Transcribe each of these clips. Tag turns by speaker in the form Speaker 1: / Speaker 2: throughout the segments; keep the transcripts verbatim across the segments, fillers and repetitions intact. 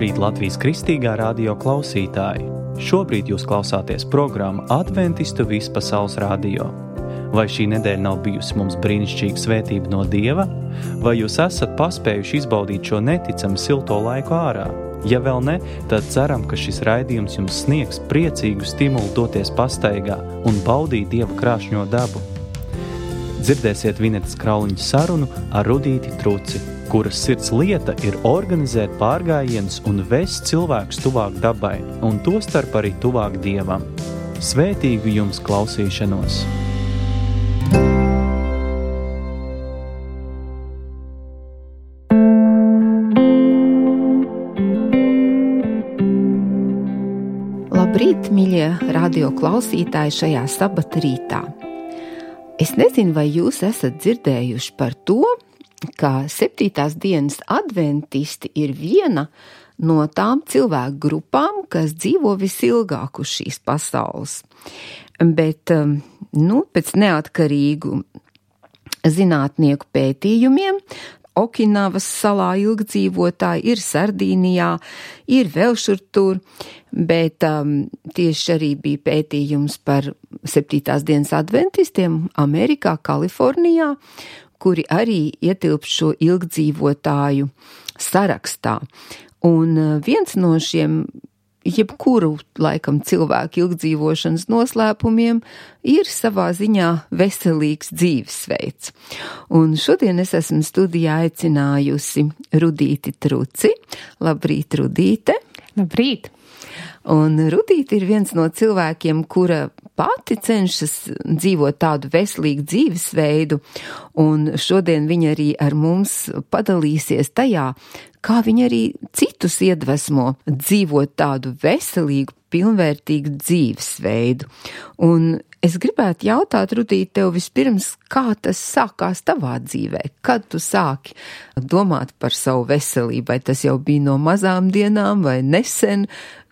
Speaker 1: Labrīt, Latvijas Kristīgā radio klausītāji! Šobrīd jūs klausāties programmu Adventistu vispasaules radio. Vai šī nedēļa nav bijusi mums brīnišķīga svētība no Dieva? Vai jūs esat paspējuši izbaudīt šo neticami silto laiku ārā? Ja vēl ne, tad ceram, ka šis raidījums jums sniegs priecīgu stimulu doties pastaigā un baudīt Dieva krāšņo dabu. Dzirdēsiet Vinetas Krauliņas sarunu ar Rudīti Truci, kuras sirds lieta ir organizēt pārgājienus un vest cilvēkus tuvāk dabai, un tostarp arī tuvāk Dievam. Svētīgu jums klausīšanos!
Speaker 2: Labrīt, mīļie radio klausītāji šajā sabata rītā! Es nezinu, vai jūs esat dzirdējuši par to, ka septītās dienas adventisti ir viena no tām cilvēku grupām, kas dzīvo visilgāk uz šīs pasaules. Bet, nu, pēc neatkarīgu zinātnieku pētījumiem, Okinavas salā ilgdzīvotāji ir Sardīnijā, ir vēl šur tur, bet um, tieši arī bija pētījums par septītās dienas adventistiem Amerikā, Kalifornijā, kuri arī ietilp šo ilgdzīvotāju sarakstā. Un viens no šiem jebkuru, laikam, cilvēku ilgdzīvošanas noslēpumiem ir savā ziņā veselīgs dzīvesveids. Un šodien es esmu studijā aicinājusi Rudīti Truci. Labrīt, Rudīte!
Speaker 3: Labrīt!
Speaker 2: Un Rudīte ir viens no cilvēkiem, kura pati cenšas dzīvot tādu veselīgu dzīvesveidu, un šodien viņa arī ar mums padalīsies tajā, kā viņa arī citus iedvesmo dzīvot tādu veselīgu, pilnvērtīgu dzīvesveidu. Un es gribētu jautāt, Rudīt, tev vispirms, kā tas sākās tavā dzīvē? Kad tu sāki domāt par savu veselību? Vai tas jau bija no mazām dienām vai nesen?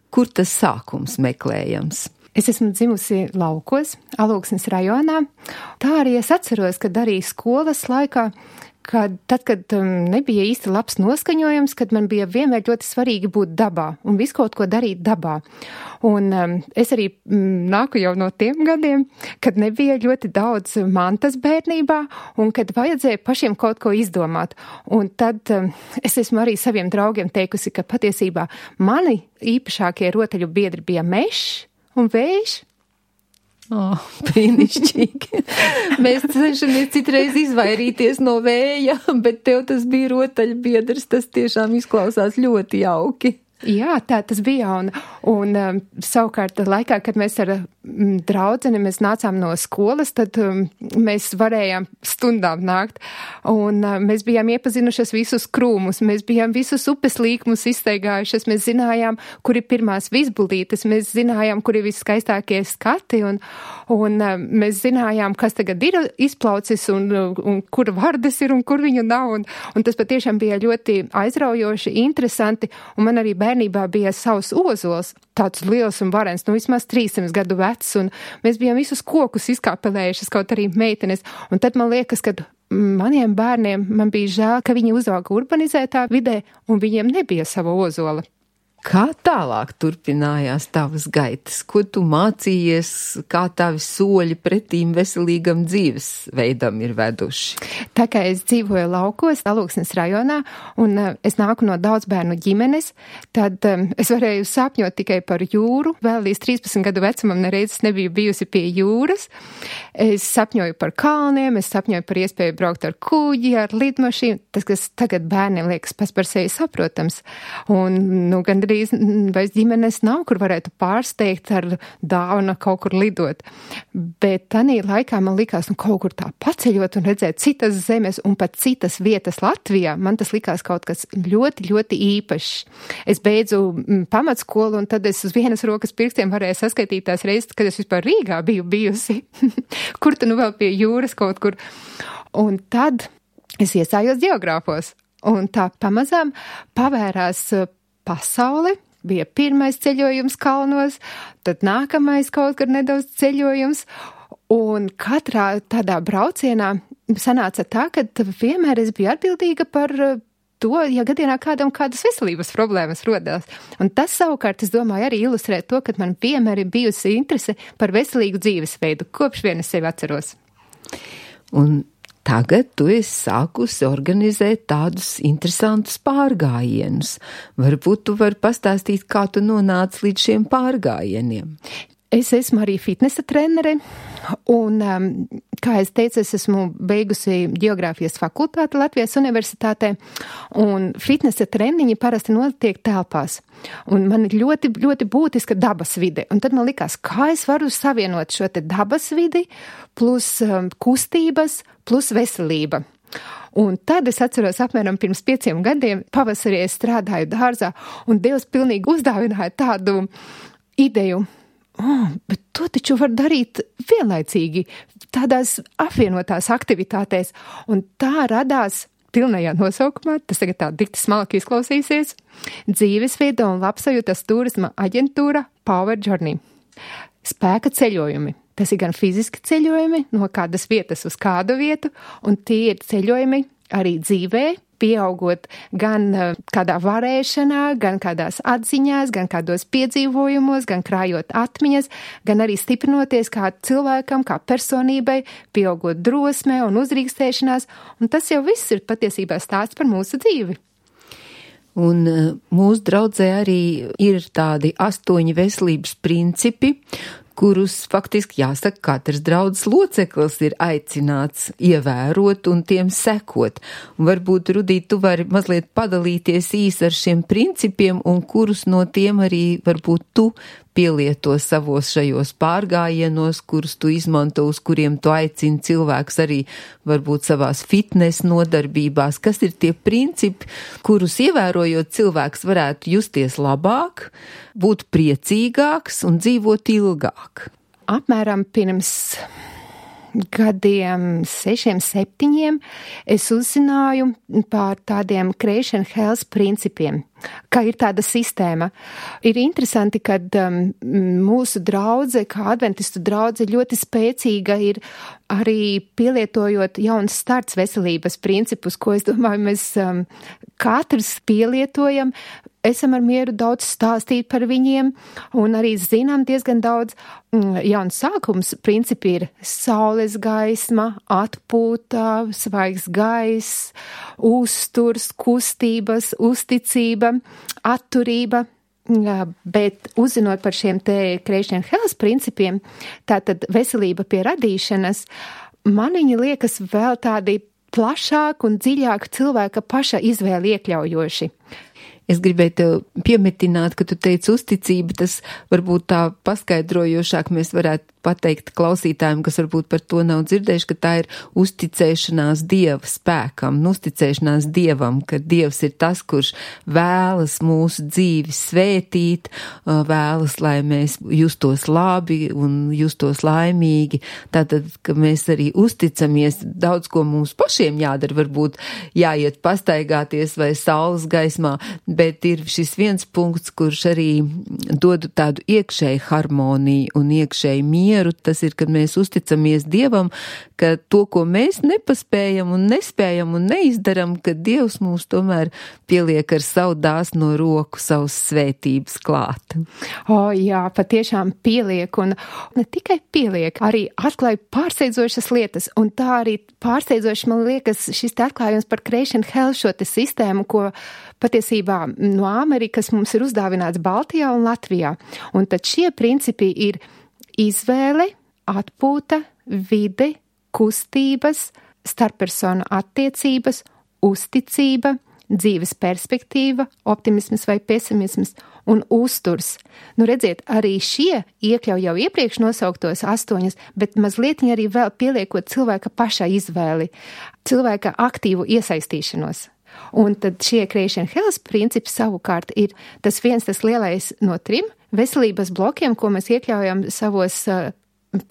Speaker 2: Kur tas sākums meklējams?
Speaker 3: Es esmu dzimusi laukos, Alūksnes rajonā. Tā arī es atceros, kad arī skolas laikā, kad tad, kad um, nebija īsti labs noskaņojums, kad man bija vienmēr ļoti svarīgi būt dabā un visu kaut ko darīt dabā. Un um, es arī um, nāku jau no tiem gadiem, kad nebija ļoti daudz mantas bērnībā un kad vajadzēja pašiem kaut ko izdomāt. Un tad um, es esmu arī saviem draugiem teikusi, ka patiesībā mani īpašākie rotaļu biedri bija mešs un vējš.
Speaker 2: Oh, brīnišķīgi. Mēs cenšamies citreiz izvairīties no vēja, bet tev tas bija rotaļbiedrs, tas tiešām izklausās ļoti jauki.
Speaker 3: Jā, tā tas bija, un, un um, savukārt laikā, kad mēs ar um, draudzeni mēs nācām no skolas, tad um, mēs varējām stundām nākt, un um, mēs bijām iepazinušas visus krūmus, mēs bijām visus upes līkumus izsteigājušas, mēs zinājām, kur ir pirmās vizbuldītes, mēs zinājām, kur ir viskaistākie skati, un, un um, mēs zinājām, kas tagad ir izplaucis, un, un kur vardes ir, un kur viņu nav, un, un tas patiešām bija ļoti aizraujoši, interesanti, un man arī bērnībā bija savs ozols, tāds liels un varens, nu vismaz trīsdesmit gadu vecs, un mēs bijām visus kokus izkāpelējušas, kaut arī meitenes, un tad man liekas, ka maniem bērniem man bija žēl, ka viņi uzauga urbanizētā vidē, un viņiem nebija sava ozola.
Speaker 2: Kā tālāk turpinājās tavas gaitas? Ko tu mācījies, kā tavi soļi pretīm veselīgam dzīvesveidam ir veduši?
Speaker 3: Tā kā es dzīvoju laukos, Alūksnes rajonā, un uh, es nāku no daudz bērnu ģimenes, tad um, es varēju sapņot tikai par jūru. Vēl līdz trīspadsmit gadu vecumam nereizes nebiju bijusi pie jūras. Es sapņoju par kalniem, es sapņoju par iespēju braukt ar kuģi, ar lidmašīnu. Tas, kas tagad bērniem liekas pats par sevi saprotams. Un, nu, gan drīz vairs ģimenes nav, kur varētu pārsteigt ar dāvanu kaut kur lidot. Bet tanī laikā man likās, nu kaut kur tā paceļot un redzēt citas zemes un pat citas vietas Latvijā, man tas likās kaut kas ļoti, ļoti īpašs. Es beidzu pamatskolu un tad es uz vienas rokas pirkstiem varēju saskaitīt tās reizes, kad es vispār Rīgā biju bijusi. Kur tu nu vēl pie jūras kaut kur? Un tad es iestājos geogrāfos. Un tā pamazām pavērās pasaule, bija pirmais ceļojums kalnos, tad nākamais kaut kur nedaudz ceļojums, un katrā tādā braucienā sanāca tā, ka vienmēr es biju atbildīga par to, ja gadījumā kādam kādas veselības problēmas rodās. Un tas savukārt, es domāju, arī ilustrē to, ka man vienmēr ir bijusi interese par veselīgu dzīvesveidu, kopš vien es sevi atceros.
Speaker 2: Un tagad tu esi sākusi organizēt tādus interesantus pārgājienus. Varbūt tu vari pastāstīt, kā tu nonāci līdz šiem pārgājieniem.
Speaker 3: Es esmu arī fitnesa trenere, un, um, kā es teicu, es esmu beigusi geogrāfijas fakultāti Latvijas universitātē, un fitnesa treniņi parasti notiek telpās. Un man ir ļoti, ļoti būtiska dabas vide. Un tad man likās, kā es varu savienot šo te dabas vidi plus um, kustības plus veselība. Un tad es atceros apmēram pirms pieciem gadiem, pavasarī es strādāju dārzā, un Dievs pilnīgi uzdāvināja tādu ideju. Oh, bet to taču var darīt vienlaicīgi, tādās apvienotās aktivitātēs, un tā radās pilnajā nosaukumā, tas tagad tā dikti smalki izklausīsies, dzīvesveida un labsajūtas turisma aģentūra Power Journey. Spēka ceļojumi. Tas ir gan fiziski ceļojumi no kādas vietas uz kādu vietu, un tie ir ceļojumi arī dzīvē, pieaugot gan kādā varēšanā, gan kādās atziņās, gan kādos piedzīvojumos, gan krājot atmiņas, gan arī stiprinoties kā cilvēkam, kā personībai, pieaugot drosmē un uzrīkstēšanās, un tas jau viss ir patiesībā stāsts par mūsu dzīvi.
Speaker 2: Un mūsu draudzē arī ir tādi astoņi veselības principi, kurus faktiski jāsaka, katrs draudzes loceklis ir aicināts ievērot un tiem sekot. Un varbūt, Rudīt, tu vari mazliet padalīties īsi ar šiem principiem un kurus no tiem arī varbūt tu pielieto savos šajos pārgājienos, kurus tu izmanto, uz kuriem tu aicini cilvēkus arī varbūt savās fitnes nodarbībās. Kas ir tie principi, kurus ievērojot cilvēks varētu justies labāk, būt priecīgāks un dzīvot ilgāk?
Speaker 3: Apmēram pirms gadiem sešiem, septiņiem es uzzināju par tādiem Creation Health principiem, ka ir tāda sistēma. Ir interesanti, ka um, mūsu draudze, kā adventistu draudze, ļoti spēcīga ir arī pielietojot jauns starts veselības principus, ko es domāju, mēs um, katrs pielietojam. Esam ar mieru daudz stāstīt par viņiem un arī zinām diezgan daudz. Jauns sākums principi ir saules gaisma, atpūta, svaigs gaiss, uzturs, kustības, uzticība, atturība. Bet uzzinot par šiem te Creation Health principiem, tātad veselība pie radīšanas, man viņi liekas vēl tādi plašāk un dziļāk cilvēka paša izvēli iekļaujoši.
Speaker 2: Es gribēju tev piemetināt, ka tu teici uzticība, tas varbūt tā paskaidrojošāk mēs varētu pateikt klausītājiem, kas varbūt par to nav dzirdējuši, ka tā ir uzticēšanās Dieva spēkam, uzticēšanās Dievam, ka Dievs ir tas, kurš vēlas mūsu dzīvi svētīt, vēlas, lai mēs justos labi un justos laimīgi. Tātad, ka mēs arī uzticamies, daudz ko mums pašiem jādara, varbūt jāiet pastaigāties vai saules gaismā, bet ir šis viens punkts, kurš arī dod tādu iekšēju harmoniju un iekšēju mieru. Tas ir, kad mēs uzticamies Dievam, ka to, ko mēs nepaspējam un nespējam un neizdaram, ka Dievs mums tomēr pieliek ar savu dāsno roku savus svētības klāt.
Speaker 3: O, jā, patiešām pieliek, un ne tikai pieliek, arī atklāja pārsteidzošas lietas, un tā arī pārsteidzoši man liekas šis te atklājums par Creation Health, šo te sistēmu, ko patiesībā no Amerikas mums ir uzdāvināts Baltijā un Latvijā. Un tad šie principi ir izvēle, atpūta, vide, kustības, starppersonu attiecības, uzticība, dzīves perspektīva, optimisms vai pesimisms un uzturs. Nu, redziet, arī šie iekļauj jau iepriekš nosauktos astoņas, bet mazliet arī vēl pieliekot cilvēka paša izvēli, cilvēka aktīvu iesaistīšanos. Un tad šie Creation Health principi savukārt ir tas viens tas lielais no trim veselības blokiem, ko mēs iekļaujam savos uh,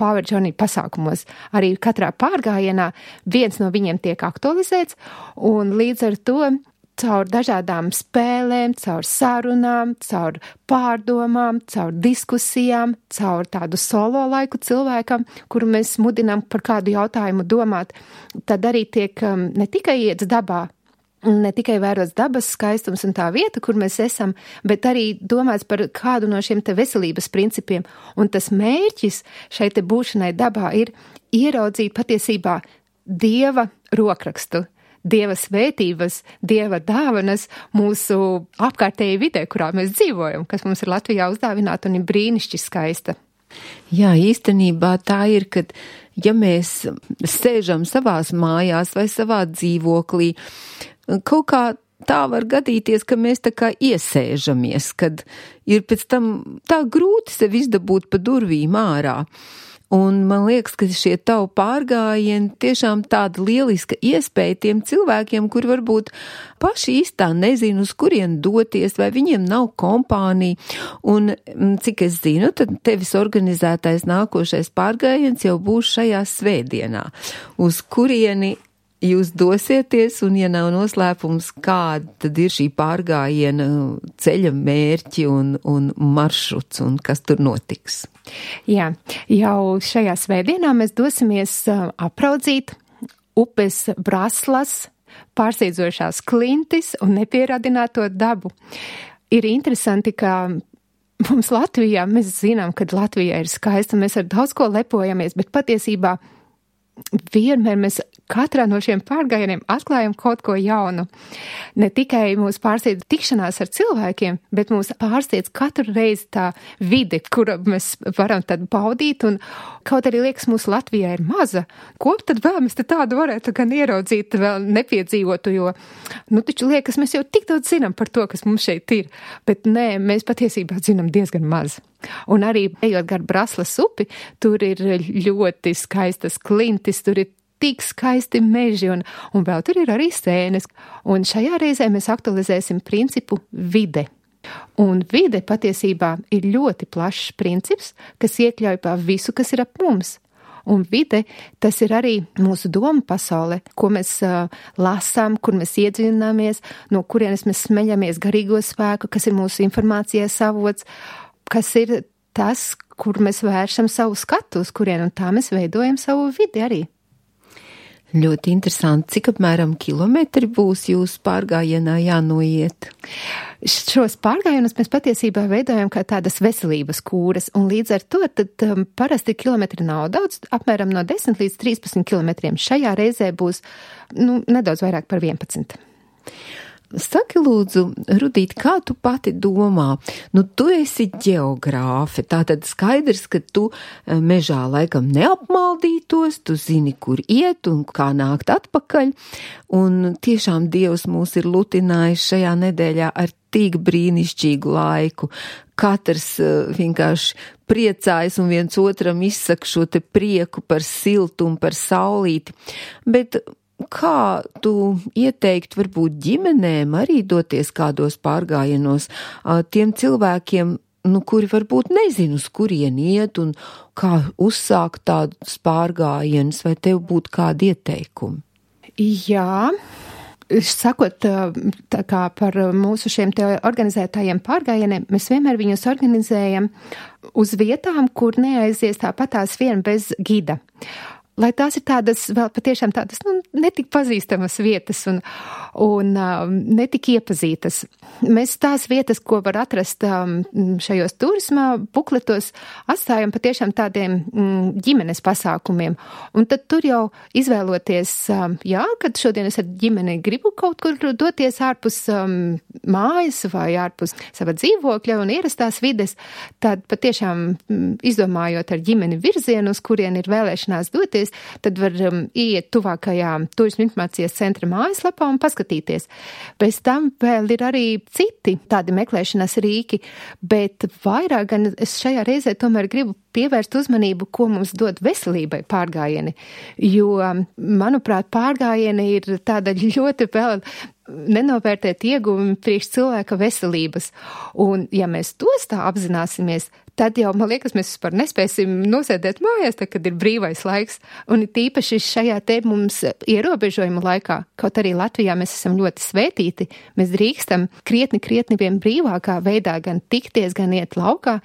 Speaker 3: Power Journey pasākumos. Arī katrā pārgājienā viens no viņiem tiek aktualizēts, un līdz ar to caur dažādām spēlēm, caur sarunām, caur pārdomām, caur diskusijām, caur tādu solo laiku cilvēkam, kuru mēs mudinām par kādu jautājumu domāt, tad arī tiek um, ne tikai iets dabā, ne tikai vērots dabas skaistums un tā vieta, kur mēs esam, bet arī domāts par kādu no šiem te veselības principiem. Un tas mērķis šai te būšanai dabā ir ieraudzīt patiesībā Dieva rokrakstu, Dieva svētības, Dieva dāvanas mūsu apkārtējai vidē, kurā mēs dzīvojam, kas mums ir Latvijā uzdāvināta un ir brīnišķi skaista.
Speaker 2: Jā, īstenībā tā ir, kad ja mēs sēžam savās mājās vai savā dzīvoklī, kaut kā tā var gadīties, ka mēs tā kā iesēžamies, kad ir pēc tam tā grūti sev izdabūt pa durvīm ārā. Un man liekas, ka šie tavu pārgājieni tiešām tāda lieliska iespēja tiem cilvēkiem, kuri varbūt paši īstā nezinu, uz kurien doties, vai viņiem nav kompānija. Un, cik es zinu, tad tevis organizētais nākošais pārgājiens jau būs šajā svētdienā, uz kurieni jūs dosieties, un ja nav noslēpums, kāda tad ir šī pārgājiena ceļa mērķi un, un maršruts, un kas tur notiks?
Speaker 3: Jā, jau šajā svētdienā mēs dosimies apraudzīt upes Braslas, pārsteidzošās klintis un nepieradināto dabu. Ir interesanti, ka mums Latvijā, mēs zinām, ka Latvijā ir skaista, mēs ar daudz ko lepojamies, bet patiesībā vienmēr mēs katrā no šiem pārgājieniem atklājam kaut ko jaunu. Ne tikai mūs pārsteidz tikšanās ar cilvēkiem, bet mūs pārsteidz katru reizi tā vide, kura mēs varam tad baudīt, un kaut arī liekas, mūsu Latvijā ir maza. Ko tad vēl mēs te tādu varētu gan ieraudzīt, vēl nepiedzīvotu, jo, nu, taču liekas, mēs jau tik daudz zinām par to, kas mums šeit ir, bet nē, mēs patiesībā zinām diezgan maz. Un arī, ejot gar Braslas upi, tur ir ļoti skaistas klintis, tur ir tik skaisti meži, un, un vēl tur ir arī sēnes. Un šajā reizē mēs aktualizēsim principu vide. Un vide patiesībā ir ļoti plašs princips, kas iekļauj pa visu, kas ir ap mums. Un vide, tas ir arī mūsu doma pasaule, ko mēs uh, lasām, kur mēs iedziļināmies, no kurienes mēs smeļamies garīgo spēku, kas ir mūsu informācijas avots, kas ir tas, kur mēs vēršam savu skatu, uz kurien, un tā mēs veidojam savu vidi arī.
Speaker 2: Ļoti interesanti. Cik apmēram kilometri būs jūsu pārgājienā jānoiet?
Speaker 3: Šos pārgājienus mēs patiesībā veidojam kā tādas veselības kūras, un līdz ar to tad um, parasti kilometri nav daudz, apmēram no desmit līdz trīspadsmit kilometriem. Šajā reizē būs, nu, nedaudz vairāk par vienpadsmit.
Speaker 2: Saki lūdzu, Rudīt, kā tu pati domā? Nu, tu esi ģeogrāfe, tātad skaidrs, ka tu mežā laikam neapmaldītos, tu zini, kur iet un kā nākt atpakaļ, un tiešām Dievs mūs ir lutinājis šajā nedēļā ar tik brīnišķīgu laiku. Katrs uh, vienkārši priecājas un viens otram izsaka šo te prieku par siltumu, par saulīti, bet kā tu ieteikt varbūt ģimenēm arī doties kādos pārgājienos tiem cilvēkiem, nu, kuri varbūt nezinu, uz kurien iet un kā uzsākt tādus pārgājienus, vai tev būtu kādi ieteikumi?
Speaker 3: Jā, sakot tā kā par mūsu šiem te organizētājiem pārgājieniem, mēs vienmēr viņus organizējam uz vietām, kur neaizies tāpatās vien bez gida. Lai tās ir tādas vēl patiešām tādas, nu, netik pazīstamas vietas un, un um, netik iepazītas. Mēs tās vietas, ko var atrast um, šajos turismā bukletos, atstājam patiešām tādiem um, ģimenes pasākumiem. Un tad tur jau izvēloties, um, jā, kad šodien es ar ģimeni gribu kaut kur doties ārpus um, mājas vai ārpus sava dzīvokļa un ierastās vides, tad patiešām um, izdomājot ar ģimeni virzienu, uz kurien ir vēlēšanās doties, tad var um, iet tuvākajā turisma informācijas centra mājaslapā un paskatīties. Bez tam vēl ir arī citi tādi meklēšanas rīki, bet vairāk gan es šajā reizē tomēr gribu pievērst uzmanību, ko mums dod veselībai pārgājieni, jo, manuprāt, pārgājieni ir tāda ļoti vēl nenovērtēt ieguvumi priekš cilvēka veselības. Un, ja mēs tos tā apzināsimies, tad jau, man liekas, mēs vispār nespēsim nosēdēt mājās, tā, kad ir brīvais laiks. Un tīpaši šajā te mums ierobežojumu laikā, kaut arī Latvijā mēs esam ļoti svētīti, mēs drīkstam krietni, krietni vien brīvākā veidā gan tikties, gan iet laukā.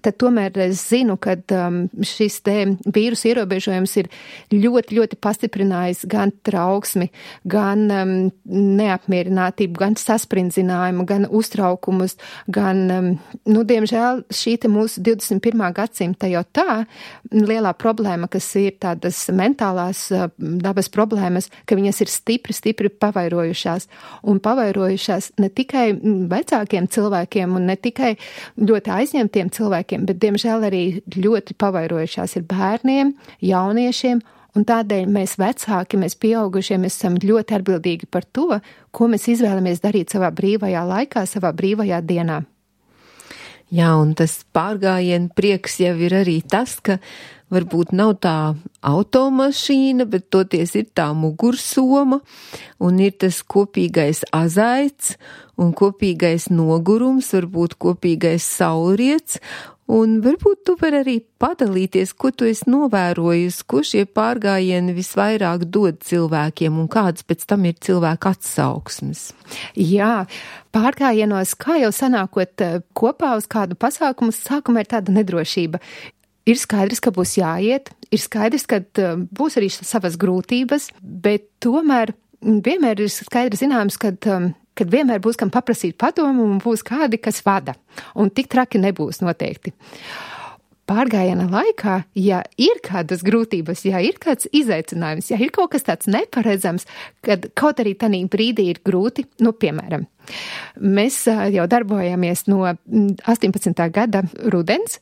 Speaker 3: tad tomēr es zinu, ka um, šis te vīrusu ierobežojums ir ļoti, ļoti pastiprinājis gan trauksmi, gan um, neapmierinātību, gan sasprindzinājumu, gan uztraukumus, gan, um, nu, diemžēl, šī te mūsu divdesmit pirmā gadsimta jau tā lielā problēma, kas ir tādas mentālās uh, dabas problēmas, ka viņas ir stipri, stipri pavairojušās, un pavairojušās ne tikai vecākiem cilvēkiem un ne tikai ļoti aizņemtiem cilvēkiem, bet, diemžēl, arī ļoti pavairojušās ir bērniem, jauniešiem, un tādēļ mēs vecāki, mēs pieaugušie, mēs esam ļoti atbildīgi par to, ko mēs izvēlamies darīt savā brīvajā laikā, savā brīvajā dienā.
Speaker 2: Jā, un tas pārgājienu prieks jau ir arī tas, ka varbūt nav tā automašīna, bet toties ir tā mugursoma, un ir tas kopīgais azaits, un kopīgais nogurums, varbūt kopīgais saulriets, un varbūt tu vari arī padalīties, ko tu esi novērojusi, ko šie pārgājieni visvairāk dod cilvēkiem, un kādas pēc tam ir cilvēku atsauksmes.
Speaker 3: Jā, pārgājienos, kā jau sanākot kopā uz kādu pasākumu, sākumā ir tāda nedrošība. Ir skaidrs, ka būs jāiet, ir skaidrs, ka būs arī savas grūtības, bet tomēr vienmēr ir skaidrs zināms, ka, kad vienmēr būs kam paprasīt padomu un būs kādi, kas vada. Un tik traki nebūs noteikti. Pārgājiena laikā, ja ir kādas grūtības, ja ir kāds izaicinājums, ja ir kaut kas tāds neparedzams, kad kaut arī tanī brīdī ir grūti, nu, piemēram, mēs jau darbojamies no astoņpadsmitā gada rudens,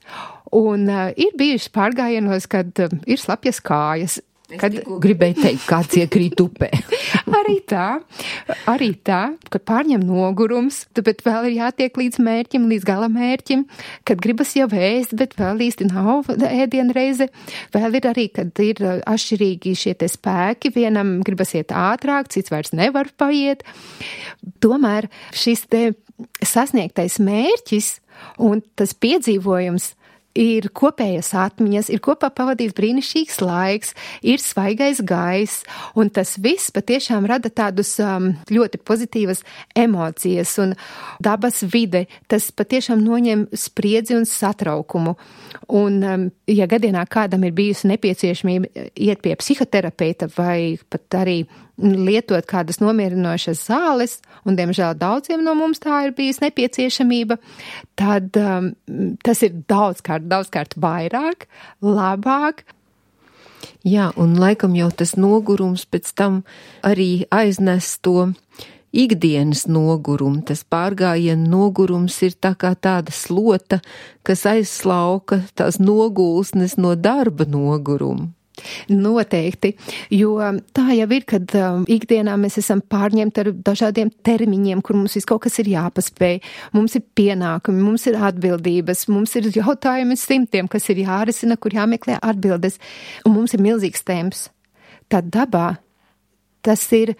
Speaker 3: un ir bijuši pārgājienos, kad ir slapjas kājas.
Speaker 2: Es kad gribēju teikt, kāds iekrīt upē.
Speaker 3: Arī tā, arī tā, kad pārņem nogurums, bet vēl ir jātiek līdz mērķim, līdz gala mērķim, kad gribas jau ēst, bet vēl īsti nav ēdienreize. Vēl ir arī, kad ir atšķirīgi šie te spēki, vienam gribas iet ātrāk, cits vairs nevar paiet. Tomēr šis te sasniegtais mērķis un tas piedzīvojums ir kopējas atmiņas, ir kopā pavadīts brīnišķīgs laiks, ir svaigais gaiss, un tas viss patiešām rada tādus um, ļoti pozitīvas emocijas, un dabas vide, tas patiešām noņem spriedzi un satraukumu. Un, um, ja gadienā kādam ir bijusi nepieciešamība iet pie psihoterapeita vai pat arī lietot kādas nomierinošas zāles, un, diemžēl, daudziem no mums tā ir bijis nepieciešamība, tad um, tas ir daudzkārt, daudzkārt vairāk, labāk.
Speaker 2: Jā, un laikam jau tas nogurums pēc tam arī aiznes to ikdienas nogurumu. Tas pārgājienu nogurums ir tā kā tāda slota, kas aizslauka tās nogulsnes no darba nogurumu.
Speaker 3: Noteikti, jo tā jau ir, kad um, ikdienā mēs esam pārņemti ar dažādiem termiņiem, kur mums viss kaut kas ir jāpaspēj, mums ir pienākumi, mums ir atbildības, mums ir jautājumi simtiem, kas ir jārisina, kur jāmeklē atbildes, un mums ir milzīgs temps. Tad dabā tas ir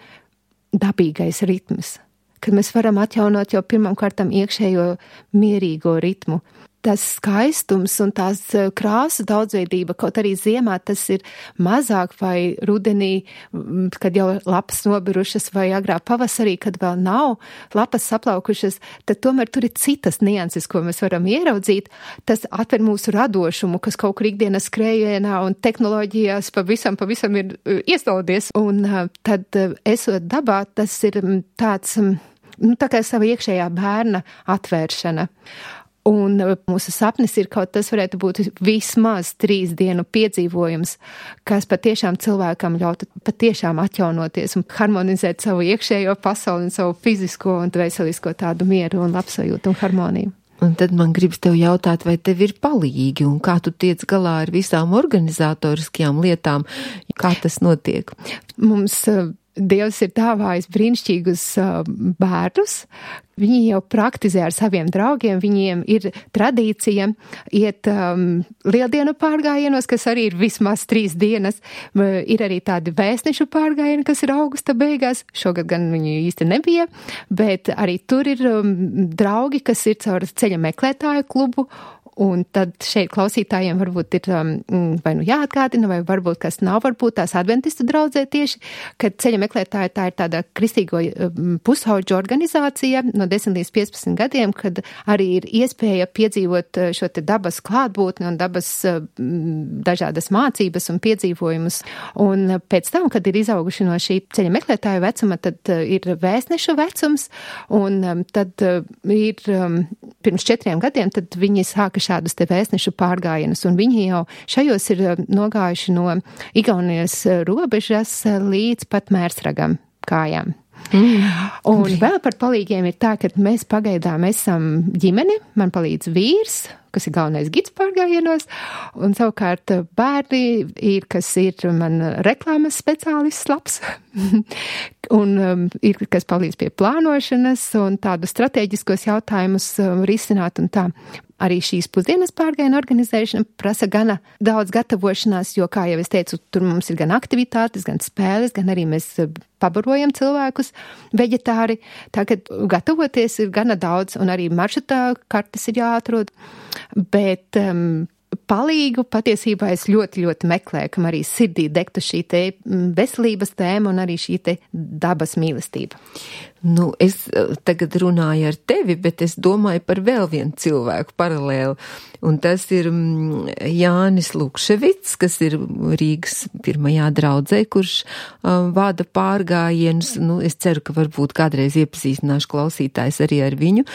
Speaker 3: dabīgais ritms, kad mēs varam atjaunot jau pirmām kārtām iekšējo mierīgo ritmu. Tas skaistums un tās krāsu daudzveidība, kaut arī ziemā tas ir mazāk vai rudenī, kad jau lapas nobirušas vai agrā pavasarī, kad vēl nav lapas saplaukušas, tad tomēr tur ir citas nianses, ko mēs varam ieraudzīt. Tas atver mūsu radošumu, kas kaut kur ikdienas skrējienā un tehnoloģijās pavisam, pavisam ir iestaldies. Un tad, esot dabā, tas ir tāds, nu, tā kā sava iekšējā bērna atvēršana. Un mūsu sapnis ir kaut tas varētu būt vismaz trīs dienu piedzīvojums, kas patiešām cilvēkam ļautu patiešām atjaunoties un harmonizēt savu iekšējo pasauli un savu fizisko un dvēselisko tādu mieru un labsajūtu un harmoniju.
Speaker 2: Un tad man gribas tev jautāt, vai tev ir palīgi un kā tu tiec galā ar visām organizatoriskajām lietām, kā tas notiek?
Speaker 3: Mums Dievs ir dāvājis brīnišķīgus uh, bērnus. Viņi jau praktizē ar saviem draugiem, viņiem ir tradīcija iet um, lieldienu pārgājienos, kas arī ir vismaz trīs dienas. Uh, ir arī tādi vēstnešu pārgājieni, kas ir augusta beigās. Šogad gan viņi īsti nebija, bet arī tur ir um, draugi, kas ir caur ceļa meklētāju klubu. Un tad šeit klausītājiem varbūt ir um, vai nu jāatgādina, vai varbūt kas nav, varbūt tās adventistu draudzē tieši, kad ceļa meklētāji tā ir tāda kristīgo um, pusauģu organizācija no desmit līdz piecpadsmit gadiem, kad arī ir iespēja piedzīvot šo te dabas klātbūtni un dabas um, dažādas mācības un piedzīvojumus. Un pēc tam, kad ir izauguši no šī ceļa meklētāju vecuma, tad uh, ir vēstnešu vecums, un um, tad uh, ir um, pirms četriem gadiem, tad viņi sāka šādus te vēstnešu pārgājienus, un viņi jau šajos ir nogājuši no Igaunijas robežas līdz pat Mērsragam kājām. Mm. Un vēl par palīgiem ir tā, ka mēs pagaidām esam ģimene, man palīdz vīrs, kas ir galvenais gids pārgājienos, un savukārt bērni ir, kas ir man reklāmas speciālists labs, un um, ir, kas palīdz pie plānošanas un tādu strateģiskos jautājumus um, risināt un tā. Arī šīs pusdienas pārgājienu organizēšana prasa gana daudz gatavošanās, jo, kā jau es teicu, tur mums ir gan aktivitātes, gan spēles, gan arī mēs pabarojam cilvēkus veģetāri. Tagad gatavoties ir gana daudz, un arī maršrutā kartes ir jāatrod, bet um, palīgu patiesībā es ļoti, ļoti meklēju, kam arī sirdī degtu šī te veselības tēma un arī šī te dabas mīlestība.
Speaker 2: Nu, es tagad runāju ar tevi, bet es domāju par vēl vienu cilvēku paralēli, un tas ir Jānis Lukševits, kas ir Rīgas pirmajā draudzē, kurš um, vada pārgājienus. Nu, es ceru, ka varbūt kādreiz iepazīstināšu klausītājs arī ar viņu,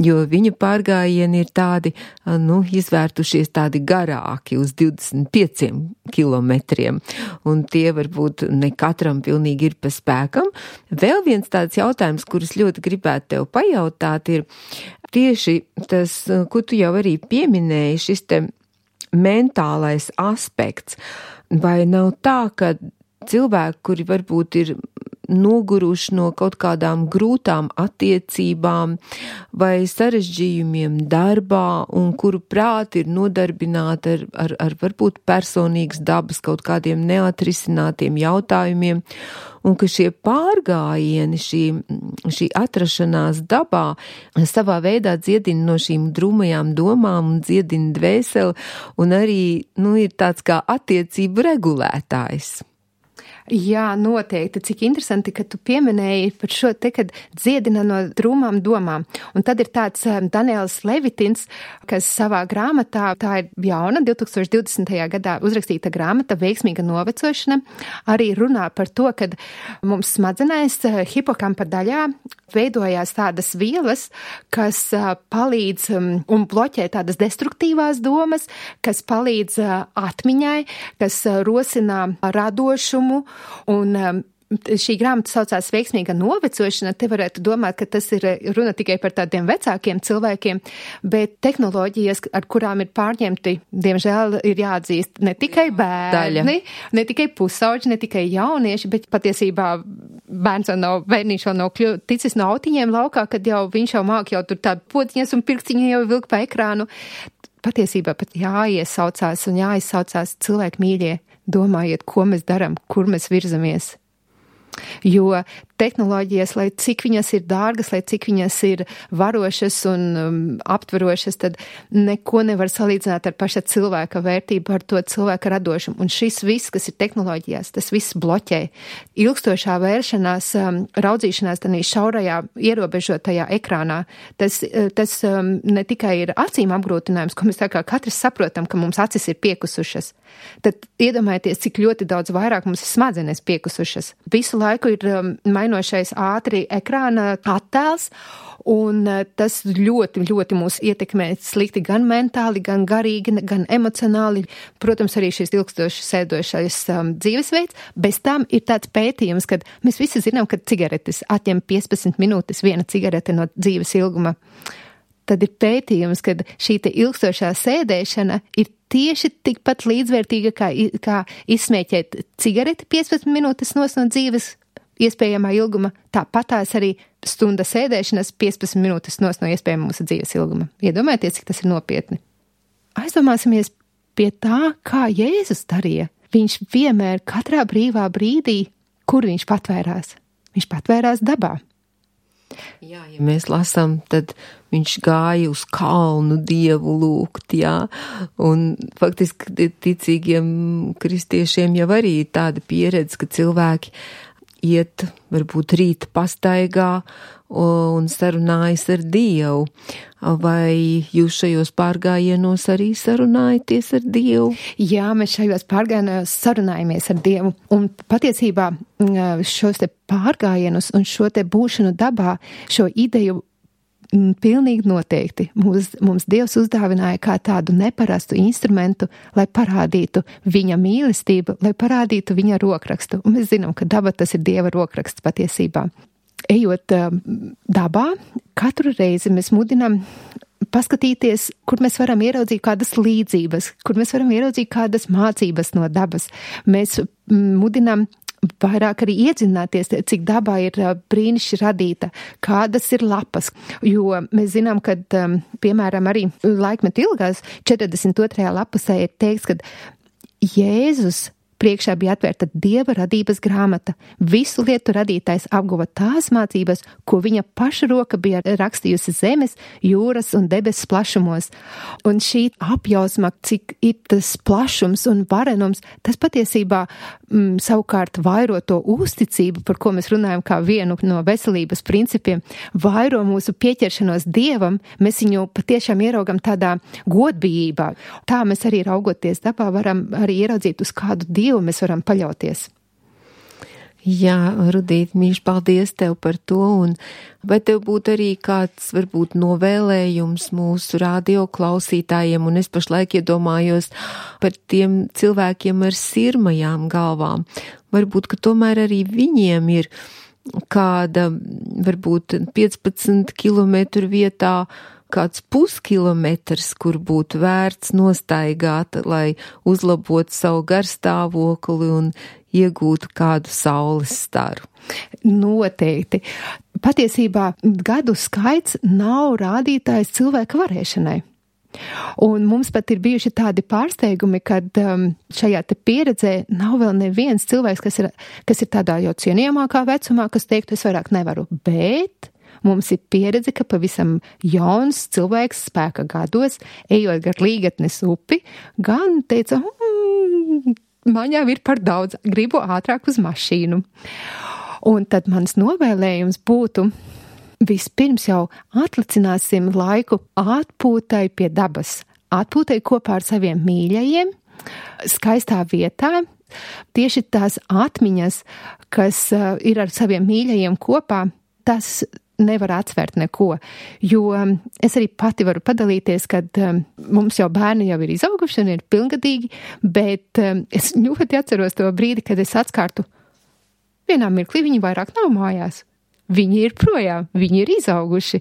Speaker 2: jo viņa pārgājieni ir tādi, nu, izvērtušies tādi garāki uz divdesmit pieciem kilometriem, un tie varbūt ne katram pilnīgi ir pa spēkam. Vēl viens tāds jautājums, kurus ļoti gribētu tev pajautāt, ir tieši tas, ko tu jau arī pieminēji, šis te mentālais aspekts. Vai nav tā, ka cilvēki, kuri varbūt ir noguruši no kaut kādām grūtām attiecībām vai sarežģījumiem darbā un kuru prāti ir nodarbināti ar, ar, ar varbūt personīgas dabas kaut kādiem neatrisinātiem jautājumiem, un ka šie pārgājieni, šī, šī atrašanās dabā savā veidā dziedina no šīm drūmajām domām un dziedina dvēseli, un arī, nu, ir tāds kā attiecību regulētājs.
Speaker 3: Jā, noteikti. Cik interesanti, ka tu pieminēji par šo te, kad dziedina no drūmām domām. Un tad ir tāds Daniels Levitins, kas savā grāmatā, tā ir jauna, divtūkstoš divdesmitajā gadā uzrakstīta grāmata Veiksmīga novecošana, arī runā par to, kad mums smadzenēs hipokampa daļā veidojās tādas vielas, kas palīdz un bloķē tādas destruktīvās domas, kas palīdz atmiņai, kas rosina radošumu. Un um, šī grāmata saucās Veiksmīga novecošana. Te varētu domāt, ka tas ir runa tikai par tādiem vecākiem cilvēkiem, bet tehnoloģijas, ar kurām ir pārņemti, diemžēl ir jāatzīst ne tikai bērni, Daļa. ne tikai pusauģi, ne tikai jaunieši, bet patiesībā bērns vēl nav, bērniņš vēl nav kļu, ticis no autiņiem laukā, kad jau viņš jau māk jau tur tādu podziņas un pirkstiņu jau vilk pa ekrānu. Patiesībā pat jāiesaucās un jāizsaucās cilvēki mīļie. Domājiet, ko mēs daram, kur mēs virzamies. Jo tehnoloģijas, lai cik viņas ir dārgas, lai cik viņas ir varošas un um, aptverošas, tad neko nevar salīdzināt ar paša cilvēka vērtību, ar to cilvēka radošumu. Un šis viss, kas ir tehnoloģijās, tas viss bloķē. Ilgstošā vēršanās, um, raudzīšanās tādā šaurajā, ierobežotajā ekrānā, tas, tas um, ne tikai ir acīm apgrūtinājums, ko mēs tā kā katrs saprotam, ka mums acis ir piekusušas. Tad iedomājieties, cik ļoti daudz vairāk mums ir smadzenes piekusušas. Visu laiku ir um, mainošais ātri ekrāna attēls, un tas ļoti, ļoti mūs ietekmē slikti gan mentāli, gan garīgi, gan emocionāli. Protams, arī šis ilgstoši sēdošais um, dzīvesveids. Bez tam ir tāds pētījums, kad mēs visi zinām, ka cigaretes atņem piecpadsmit minūtes viena cigarete no dzīves ilguma. Tad ir pētījums, ka šī te ilgstošā sēdēšana ir tieši tikpat līdzvērtīga, kā, kā izsmēķēt cigareti piecpadsmit minūtes nos no dzīves iespējamā ilguma, tāpatās arī stunda sēdēšanas piecpadsmit minūtes nos no iespējamā mūsu dzīves ilguma. Iedomājieties, cik tas ir nopietni. Aizdomāsimies pie tā, kā Jēzus darīja. Viņš vienmēr katrā brīvā brīdī, kur viņš patvērās? Viņš patvērās dabā.
Speaker 2: Jā, ja mēs lasām, tad viņš gāja uz kalnu Dievu lūgt, jā, un faktiski ticīgiem kristiešiem jau arī ir tāda pieredze, ka cilvēki iet, varbūt rīta pastaigā un sarunājas ar Dievu. Vai jūs šajos pārgājienos arī sarunājaties ar Dievu?
Speaker 3: Jā, mēs šajos pārgājienos sarunājamies ar Dievu. Un patiesībā šos te pārgājienus un šo te būšanu dabā, šo ideju pilnīgi noteikti mums, mums Dievs uzdāvināja kā tādu neparastu instrumentu, lai parādītu viņa mīlestību, lai parādītu viņa rokrakstu. Un mēs zinām, ka daba tas ir Dieva rokraksts patiesībā. Ejot dabā, katru reizi mēs mudinām paskatīties, kur mēs varam ieraudzīt kādas līdzības, kur mēs varam ieraudzīt kādas mācības no dabas. Mēs mudinām vairāk arī iedzināties, cik dabā ir brīnišķi radīta, kādas ir lapas, jo mēs zinām, ka, piemēram, arī laikmetu ilgās četrdesmit otrajā lapusē ir teikts, ka Jēzus priekšā bija atvērta Dieva radības grāmata. Visu lietu radītājs apguva tās mācības, ko viņa paša roka bija rakstījusi zemes, jūras un debesis plašumos. Un šī apjausma, cik ir tas plašums un varenums, tas patiesībā mm, savukārt vairo to uzticību, par ko mēs runājam kā vienu no veselības principiem, vairo mūsu pieķeršanos Dievam, mēs viņu patiešām ieraugam tādā godbijībā. Tā mēs arī raugoties dabā varam arī ieraudzīt, uz kādu Dievu mēs varam paļauties.
Speaker 2: Jā, Rudīt, mīļš, paldies tev par to, un vai tev būtu arī kāds, varbūt, novēlējums mūsu radio klausītājiem, un es pašlaik iedomājos par tiem cilvēkiem ar sirmajām galvām. Varbūt, ka tomēr arī viņiem ir kāda, varbūt, piecpadsmit kilometru vietā kāds puskilometrs, kur būtu vērts nostaigāt, lai uzlabotu savu garstāvokli un iegūtu kādu saules staru.
Speaker 3: Noteikti. Patiesībā gadu skaits nav rādītājs cilvēka varēšanai. Un mums pat ir bijuši tādi pārsteigumi, kad um, šajā te pieredzē nav vēl neviens cilvēks, kas ir, kas ir tādā jau cienījamākā vecumā, kas teiktu, es vairāk nevaru, bet mums ir pieredze, ka pavisam jauns cilvēks spēka gados, ejot gar Līgatnes upi, gan teica, mm, man jau ir par daudz, gribu ātrāk uz mašīnu. Un tad mans novēlējums būtu, vispirms jau atlicināsim laiku atpūtai pie dabas, atpūtai kopā ar saviem mīļajiem, skaistā vietā, tieši tās atmiņas, kas uh, ir ar saviem mīļajiem kopā, tas nevar atsvērt neko, jo es arī pati varu padalīties, kad um, mums jau bērni jau ir izauguši un ir pilngadīgi, bet um, es ļoti atceros to brīdi, kad es atskārtu, vienā mirklī viņi vairāk nav mājās. Viņi ir projām, viņi ir izauguši.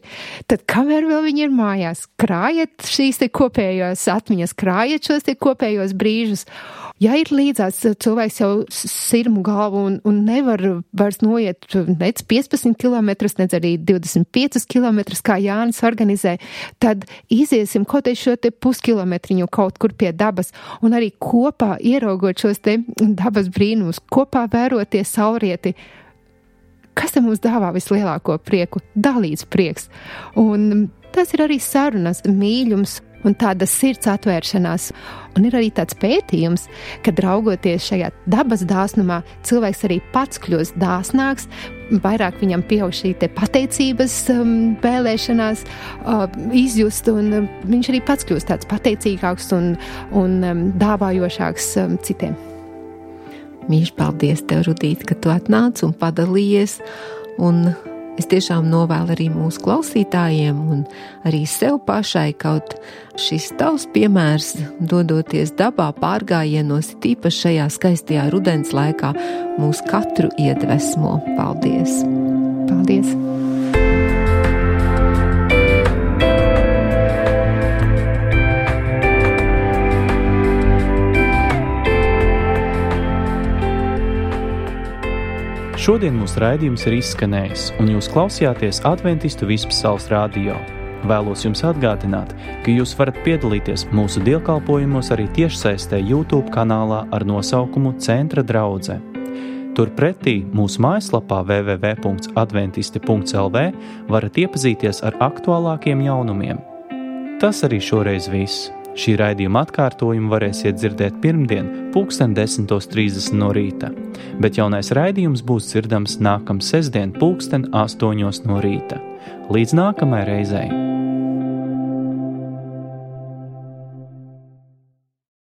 Speaker 3: Tad kamēr vēl viņi ir mājās, krājiet šīs te kopējās atmiņas, krājiet šos te kopējos brīžus. Ja ir līdzās cilvēks jau sirmu galvu un, un nevar vairs noiet nec piecpadsmit kilometrus, nec arī divdesmit piecus kilometrus, kā Jānis organizē, tad iziesim kaut arī šo te puskilometriņu kaut kur pie dabas un arī kopā ieraugot šos te dabas brīnumus, kopā vēroties saulrieti. Kas te mums dāvā vislielāko prieku? Dalīts prieks. Un tas ir arī sarunas, mīļums un tāda sirds atvēršanās. Un ir arī tāds pētījums, kad raugoties šajā dabas dāsnumā, cilvēks arī pats kļūst dāsnāks, vairāk viņam pieaug šī te pateicības um, vēlēšanās uh, izjust, un um, viņš arī pats kļūst tāds pateicīgāks un, un um, dāvājošāks um, citiem.
Speaker 2: Mīļš, paldies tev, Rudīt, ka tu atnāc un padalījies, un es tiešām novēlu arī mūsu klausītājiem un arī sev pašai, kaut šis tavs piemērs, dodoties dabā pārgājienos, tīpaši šajā skaistajā rudens laikā, mūs katru iedvesmo. Paldies!
Speaker 3: Paldies!
Speaker 1: Šodien mūsu raidījums ir izskanējis, un jūs klausījāties Adventistu Vispasaules radio. Vēlos jums atgādināt, ka jūs varat piedalīties mūsu dievkalpojumos arī tiešsaistē YouTube kanālā ar nosaukumu Centra draudze. Turpretī mūsu mājaslapā w w w punkts adventisti punkts l v varat iepazīties ar aktuālākiem jaunumiem. Tas arī šoreiz viss. Šī raidījuma atkārtojumu varēsiet dzirdēt pirmdien, pulksten desmitos trīsdesmit no rīta, bet jaunais raidījums būs dzirdams nākam sestdien, pulksten astoņos no rīta. Līdz nākamai reizei!